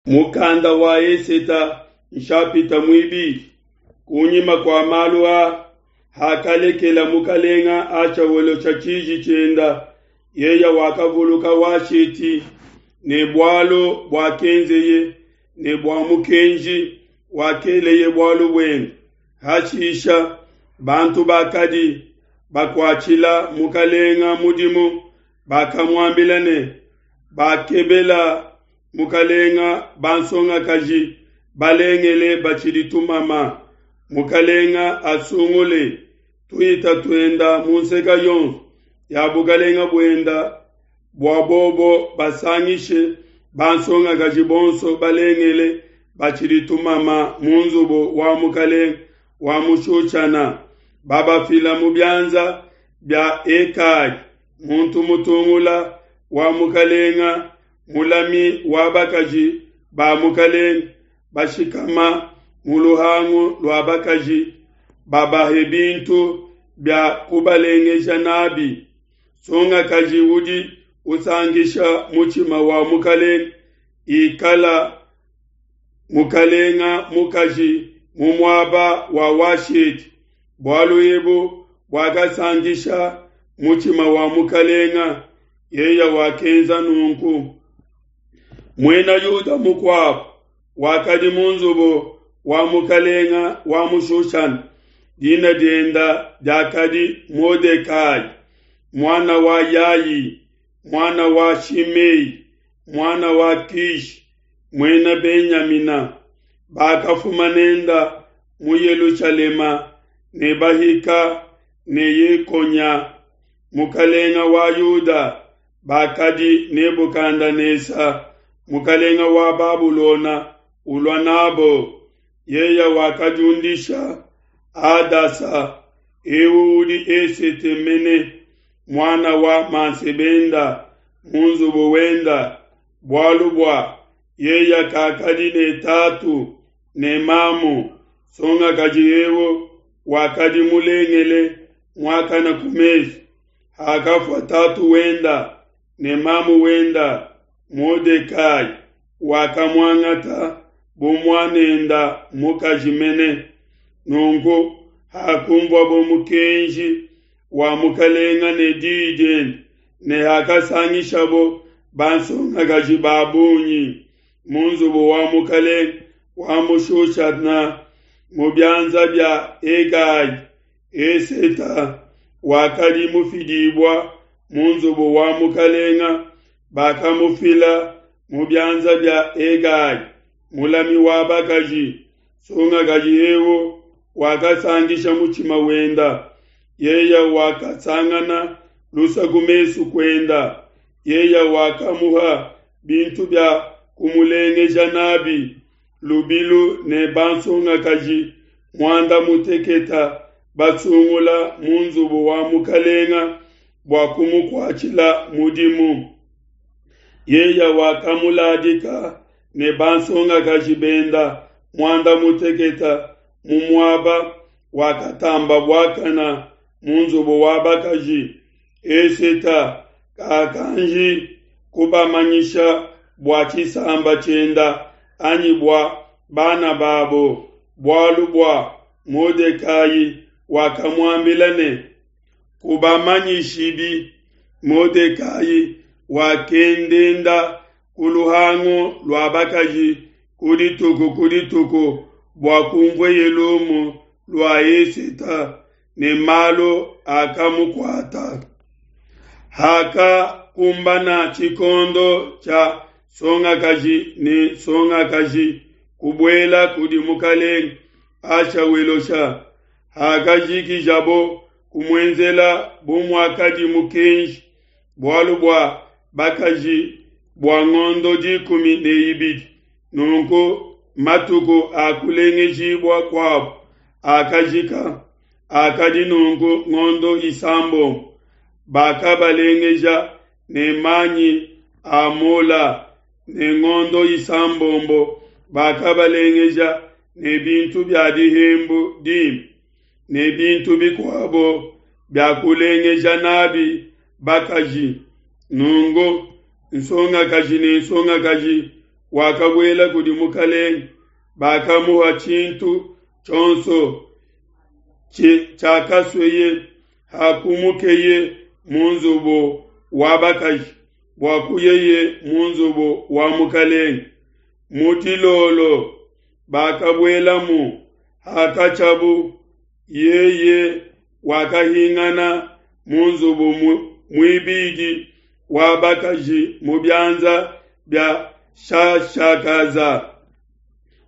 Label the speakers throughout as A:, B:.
A: Mukanda wa Eseta nshapita muibidi. Kunyima kua malu aa, hakalekela mukalenga Achawelosha tshiji tshienda, yeya wakavuluka Washeti ne bualu buakenzeye ne bua mukenji wakeleye bualu buende. Hashisha bantu bakadi bakuatshila mukalenga mudimu bakamuambila ne, Bakebela mukalenga bansongakaji balengele batshidi tumama. Mukalenga asungule tuhita tuenda mu nseka yonso ya bukalenga buenda bua bobo basangishe bansongakaji bonso balengele batshidi tumama mu nzubu wa mukalenga wa mu Shushana, babafila mu bianza bia Hegai, muntu mutungula wa mukalenga, mulami wa bakaji ba mukalenga, bashikama mu luhangu lua bakaji, babahe bintu bia kubalengeja nabi. Nsongakaji udi usankisha mutshima wa mukalenga, ikala mukalenga mukaji mu muaba wa Washeti. Bualu ebu buakasankisha mutshima wa mukalenga, yeya wakenza nunku. Muena Yuda mukuabu wakadi mu nzubu wa mukalenga wa mu Shushana, dina dienda diakadi Modekai, muana wa Yai, muana wa Shimei, muana wa Kishi, muena Benyamina. Bakafuma nenda mu Yelushalema ne bahika ne Yekonya, mukalenga wa Yuda, bakadi Nebukadenesa, mukalenga wa Babulona, ulua nabo. Yeya wakadiundisha Hadasa, eu udi Esete mene, muana wa mansebenda, mu nzubu wenda, bualu bua yeya kakadi ne tatu ne mamu. Nsongakaji eu wakadi mulengele muakana ku mesu. Hakafua tatu wenda ne mamu wenda, Modekai wakamuangata bu muanenda mukaji mene. Nunku hakumvuabo mukenji wa mukalenga ne diyi diende, ne hakasangishabo bansongakaji ba bungi mu nzubu wa mukalenga wa mu Shushana mu bianza bia Hegai, Eseta wakadi mufidibua mu nzubu wa mukalenga, bakamufila mu bianza bia Hegai, mulami wa bakaji. Nsongakaji eu wakasankisha mutshima wenda, yeya wakasangana lusa ku mesu kuenda, yeya wakamuha bintu bia kumulengeja nabi lubilu ne bansongakaji muanda muteketa basungula mu nzubu wa mukalenga bua kumukuatshila mudimu. Yeya wakamuladika ne bansongakaji benda muanda muteketa mu muaba wakatamba buakana mu nzubu wa bakaji. Eseta kakanji kubamanyisha bua tshisamba tshienda anyi bua bana babo, bualu bua Modekai wakamuambila ne, Kubamanyishibi. Modekai wakendenda ku luhangu lua bakaji ku dituku ku dituku bua kumvueye lumu lua Eseta ne malu akamukuata. Hakakumbana tshikondo tshia nsongakaji ne nsongakaji kubuela kudi mukalenge Ahashawelosha, hakajikijabo kumuenzela bu muakadi mukenji, bualu bua bakaji bua ngondo 12, nunku matuku a kulengejibua kuabo akajika, akadi nunku ngondo isambombo, bakabalengeja ne manyi a mola, ne ngondo isambombo bakabalengeja ne bintu bia dihembu dimpe, ne bintu bikuabo bia kulengeja nabi bakaji. Nunku nsongakaji ne nsongakaji wakabuela kudi mukalenge, bakamuha tshintu tshionso tshiakasueye. Hakumukeye mu nzubu wa bakaji bua kuyeye mu nzubu wa mukalenge, mu dilolo bakabuelamu. Hakatshiabu, yeye wakahingana mu nzubu muibidi wa bakaji mu bianza bia Shashakaza,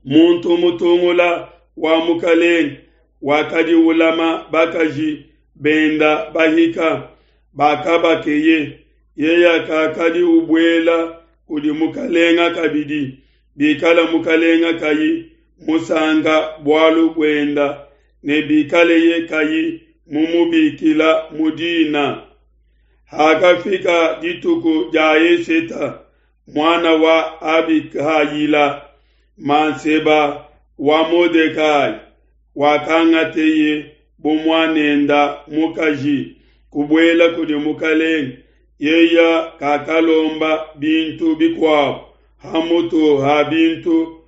A: muntu mutungula wa mukalenge, wakadi ulama bakaji benda bahika bakabakeye. Yeye kakadi ubuela kudi mukalenga kabidi, bikala mukalenga kayi musanka bualu buenda, ne bikaleye kayi mumubikila mu dina. Hakafika dituku dia Eseta, muana wa Abihayila, manseba wa Modekai, wakangateye bu muanenda mukaji kubuela kudi mukalenge, yeya kakalomba bintu bikuabo hamutu ha bintu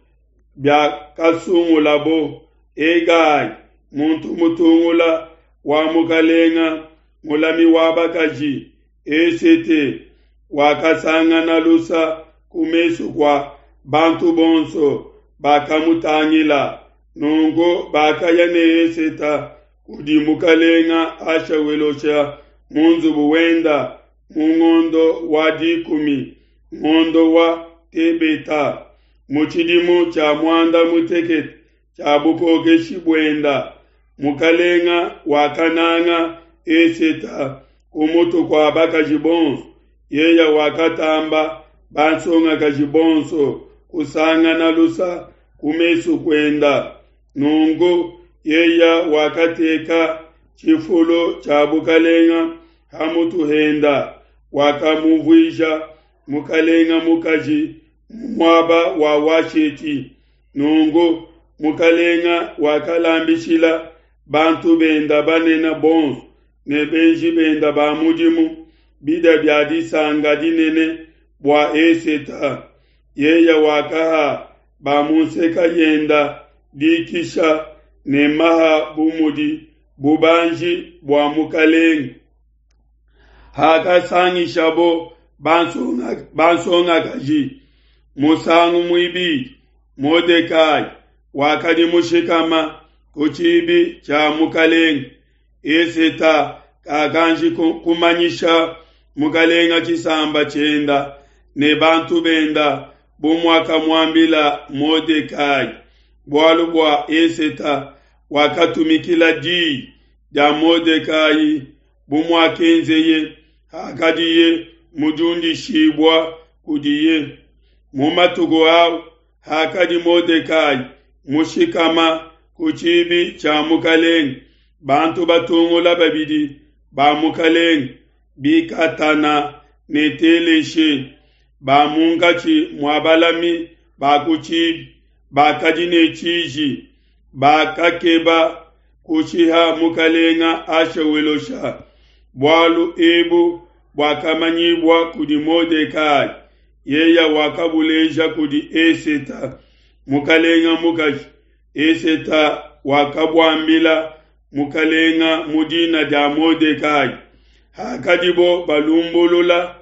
A: biakasungulabo. Hegai, muntu mutungula wa mukalenga, mulami wa bakaji, Esete wakasangana lusa ku mesu kua bantu bonso bakamutangila. Nunku bakaya ne Eseta kudi mukalenga Ashawelosha mu nzubu wenda mu ngondo wa dikumi, ngondo wa Tebeta, mu tshidimu tshia muanda mutekete tshia bukokeshi buenda. Mukalenga wakananga Eseta ku mutu kua bakaji bonso, yeya wakatamba bansongakaji bonso kusangana lusa ku mesu kuenda. Nunku yeya wakateka tshifulu tshia bukalenga hamutu henda, wakamuvuija mukalenga mukaji mu muaba wa Washeti. Nunku mukalenga wakalambishila bantu benda banene bonso ne benji benda ba mudimu bidia bia disanka dinene bua Eseta. Yeya wakaha ba mu nseka yenda dikisha ne maha bu mudi bubanji bua mukalenge. Hakasangishabo bansongakaji musangu muibidi, Modekai wakadi mushikama ku tshibi tshia mukalenge. Eseta kakanji kumanyisha mukalenga tshisamba tshienda ne bantu benda bu muakamuambila Modekai, bualu bua Eseta wakatumikila diyi dia Modekai bu muakenzeye hakadiye mudiundishibua kudiye. Mu matuku au hakadi Modekai mushikama ku tshibi tshia mukalenge, bantu batungula babidi ba mukalenge, Bikatana ne Teleshe, ba munkatshi mua balami ba ku tshibi, bakadi ne tshiji, bakakeba kushiha mukalenga Ashawelosha. Bualu ebu buakamanyibua kudi Modekai, yeya wakabuleja kudi Eseta mukalenga mukaji. Eseta wakabuambila mukalenga mu dina dia Modekai. Hakadibo balumbulula,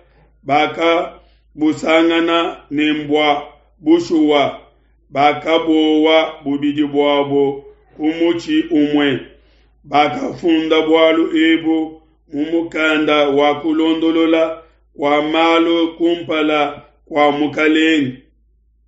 A: bakabusangana ne mbua bushuwa, bakabowa bubidi buabo ku mutshi umue. Bakafunda bualu ebu mu mukanda wa kulondolola kua malu kumpala kua mukalenge.